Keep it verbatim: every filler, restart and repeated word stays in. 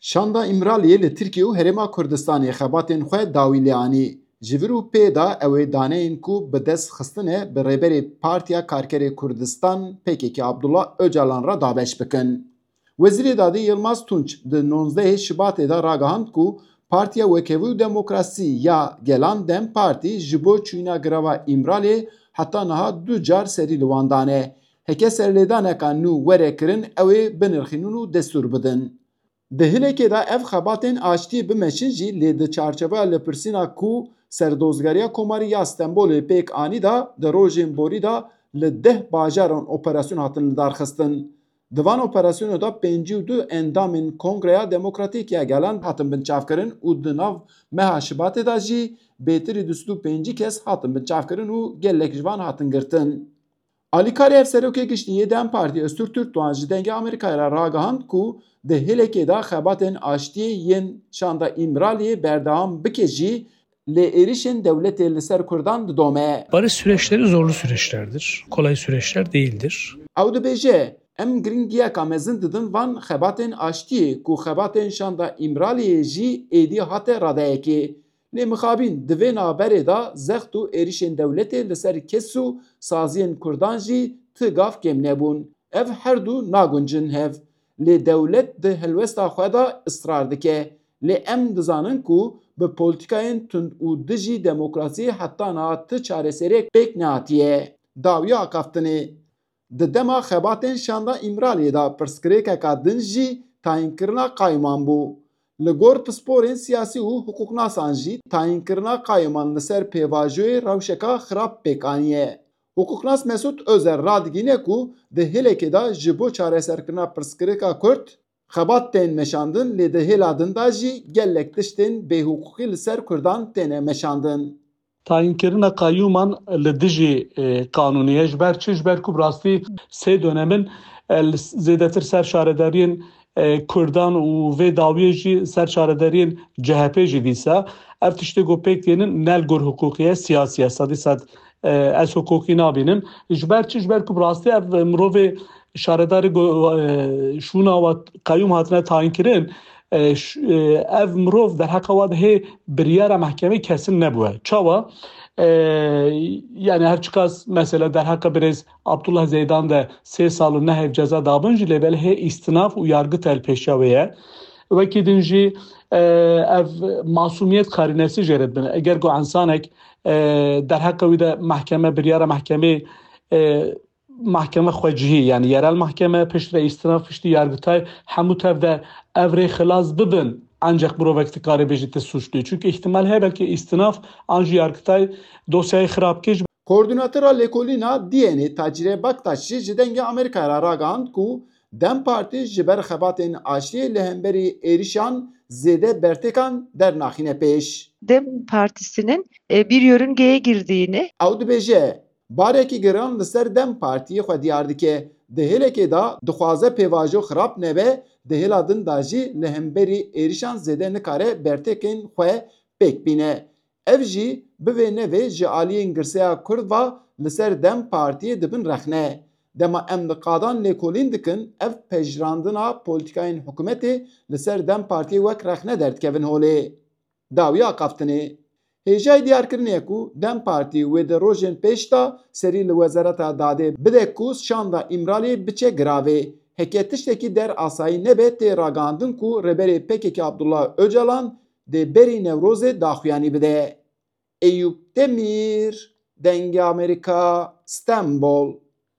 Şanda Îmraliyê li Tirkiye û Herêma Kurdistanê xebatên xwe dawî lê anî. Ji vir û pê de ew ê daneyên ku bi dest xistine bi rêberê Partiya Karkerê Kurdistan P K K Abdullah Ocalan re dabeş bikin. Wezîrê Dadê Yilmaz Tunç di nozdehê Şibatê de ragihand ku Partiya Wekhevî û Demokrasî ya Gelan DEM Partî ji bo çûyîna girava Îmraliyê heta niha du car serî li wan dane. Heke serlêdaneka nû were kirin, ew ê binirxînin û destûr bidin. Di hilekê de ev xebatên aştiyê bimeşin jî, lê di çarçoveya lêpirsîna ku Serdozgeriya Komarî ya Stenbolê pêk anî de, di rojên borî de li deh bajaran operasyon hatin lidarxistin. Di van operasyonê de pêncî û du endamên Kongreya Demokratîk ya Gelan hatin binçavkirin û di nav meha Şibatê de jî bêtirî du sed û pêncî kes hatin binçavkirin û gelek ji van hatin girtin. Alîkarê Hevserokê Giştî yê DEM Partî Öztürk Türkdoğan ji Dengê Amerîkayê re ragihand ku di hilekê de xebatên aştiyê yên şanda Îmraliyê berdewam bike jî, lê êrişên dewletê li ser Kurdan didome. Barış süreçleri zorlu süreçlerdir. Kolay süreçler değildir. Ew dibêje, em giringiyeka mezin didin van xebatên aştiyê ku xebatên şanda Îmraliyê jî êdî hate radeyekê. Lê mixabin di vê navberê de zext û êrişên dewletê li ser kes û saziyên Kurdan jî ti gav kêm nebûn. Ev her du naguncin hev. Lê dewlet di helwesta xwe de israr dike. Lê em dizanin ku bi polîtîkayên tund û dijî demokrasiyê heta niha ti çareseriyek pêk nehatiye. Dawiya axaftinê. Di dema xebatên şanda Îmraliyê de pirsgirêkeka din jî tayînkirina qayûman bû. Li gor pisporên siyasî û hiqûqnasan jî tayînkirina qayûman li ser pêvajoyê rewşeka xirab pêk aniye. Hiqûqnas Mesûd Ozer radigihîne ku di hilekê de ji bo çareserkirina pirsgirêka Kurd xebat tên meşandin, lê di hêla din de jî gelek tiştên bêhiqûqî li ser Kurdan têne meşandin. Tayînkirina qayûman li dijî, e, qanûnî ye. Ji ber çi? Ji ber ku bi rastî sê dönemin, e, li s-, zêdetir ser şaredariyên, e, Kurdan û vê dawiyê jî ser şaredariyên C H P jî dîsa. Ev tiştê ku pêk tênin ne li gor hiqûqî ye, siyasî ye. Sedî sed, e, ez hiqûqî nabînim. Ji ber çi? Ji ber ku bi rastî ev mirovê şaredarê go-, e, şûna we qeyûm hatine tayîn kirin, e, ş-, e, ev mirov derheqa wa de hê biryara mehkemê kesin nebûye. Çawa? E, yani her çiqas mesela derheqa birêz Abdullah Zeydan de sê sal û neh ev ceza dabin jî, lê belê hê îstinaf û yargı telpêşiya wê ye. Wekî din jî, e, ev masumiyet karînesi jê re dibin. Eger ku insanek, e, derheqa wî de mehkeme, biryara mehkemê, e, mahkeme xwecihî, yani yerel mahkeme, piştre îstinaf, piştî yargıtay, hemû tev de ev rê xilas bibin, ancak mirovek dikare bêjî tu suçluyê. Çünkü ihtimal heye belkî îstinaf an jî yargıtay dosyayê xirab kir. Koordînatora lêkolîna D N A Tacîre Baktaş jî ji Dengê Amerîkayê re ragihand ku DEM Partî ji ber xebatên aştiyê li hemberî êrişan zêde bertêkan dernaxîne pêş. DEM Partisi'nin, e, bir yörüngeye girdiğini Ew dibêje, barekî giran li ser DEM Partiyê xwe diyar dike. Di hêlekê de dixwaze pêvajo xirab nebe, di hêla din de jî li hemberî êrişan zêde nikare bertêkên xwe pêk bîne. Ev jî bi vê nevê ji aliyên girseya Kurd ve li ser DEM Partiyê dibin rexne. Dema em li qadan lêkolîn dikin, ev pejirandina polîtîkayên hikûmetê li ser DEM Partiyê wek rexne derdikevin holê. Dawiya axaftinê. Hêjayî diyarkirinê ye ku DEM Partî wê di rojên pêş de serî li Wezareta Dadê bide ku şanda Îmraliyê biçe giravê. Heke tiştekî der asayî nebe, tê ragihandin ku rêberê P K K Abdullah Ocalan dê berî Newrozê daxuyanî bide. Eyûp Demîr, Dengê Amerîka, Stenbol.